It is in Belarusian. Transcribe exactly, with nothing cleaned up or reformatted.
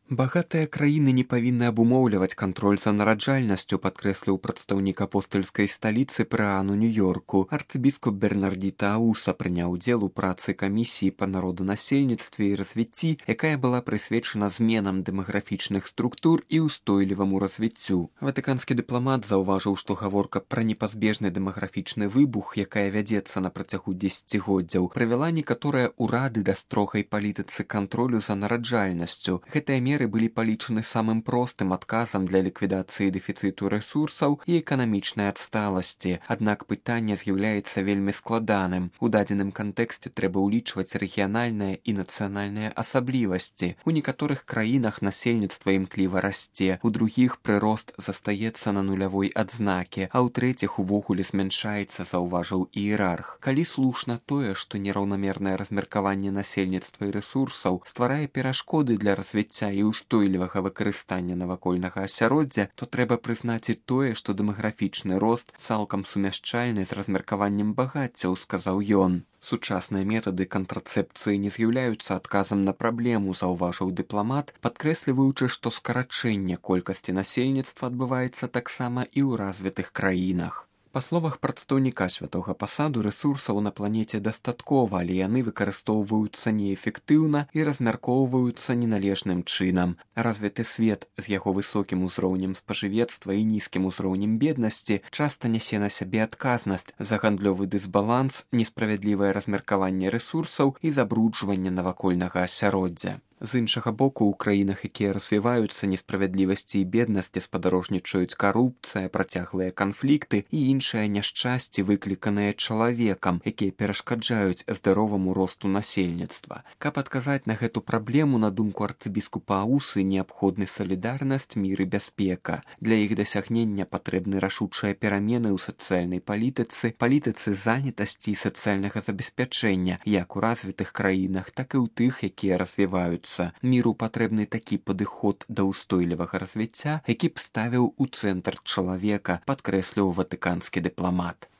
Багатыя краіны не павінны абумоўліваць кантроль за нараджальнасцю, падкрэсліў прадстаўнік апостальскай сталіцы прыаану Нью-Йорку. Арцыбіскуп Бернардзіта Ауса прыняў удзел у працы камісіі па народанасельніцтве і развіцці, якая была прысвечана зменам дэмаграфічных структур і ўстойліваму развіццю. Ватыканскі дыпламат заўважыў, што гаворка пра непазбежны дэмаграфічны выбух, якая вядзецца на працягу дзесяцігоддзяў, прывяла некаторыя ўрады да строгай палітыцы кантролю за нараджальнасцю. Гэтыя меры былі палічаны самым простым адказам для ліквідацыі дэфіцыту рэсурсаў і эканамічнай адсталасці. Аднак пытанне з'яўляецца вельмі складаным. У дадзеным кантэксце трэба ўлічваць рэгіянальныя і нацыянальныя асаблівасці. У некаторых краінах насельніцтва імкліва расце, у другіх прырост застаецца на нулявой адзнаке, а ў трэціх увогуле змяншаецца, заўважыў іерарх. Калі слушна тое, што нераўнамернае размеркаванне насельніцтва і рэсурсаў стварае перашкоды для развіцця і устойлівага выкарыстання навакольнага асяроддзя, то трэба прызнаць і тое, што дэмаграфічны рост цалкам сумяшчальны з размеркаваннем багаццяў, сказаў ён. Сучасныя метады кантрацэпцыі не з'яўляюцца адказам на праблему, заўважыў дыпламат, падкрэсліваючы, што скарачэнне колькасці насельніцтва адбываецца таксама і ў развітых краінах. Па словах прадстаўніка святога пасаду, рэсурсаў на планеце дастаткова, але яны выкарыстоўваюцца неэфектыўна і размяркоўваюцца неналежным чынам. Развіты свет з яго высокім узроўнем спажывецтва і нізкім узроўнем беднасці часта нясе на сябе адказнасць за гандлёвы дысбаланс, несправядлівае размеркаванне рэсурсаў і забруджванне навакольнага асяроддзя. З іншага боку, у краінах, якія развіваюцца, несправядлівасці і беднасці спадарожнічаюць карупцыя, працяглыя канфлікты і іншыя няшчасці, выкліканыя чалавекам, якія перашкаджаюць здароваму росту насельніцтва. Каб адказаць на гэту праблему, на думку арцыбіскупа Аусы, неабходны салідарнасць, мір і бяспека. Для іх дасягнення патрэбны рашучыя перамены ў сацыяльнай палітыцы, палітыцы занятасці і сацыяльнага забеспячэння, як у развітых краінах, так і ў тых, якія развіваюцца. Міру патрэбны такі падыход да ўстойлівага развіцця, які б ставіў у цэнтр чалавека, падкрэсліў ватыканскі дыпламат.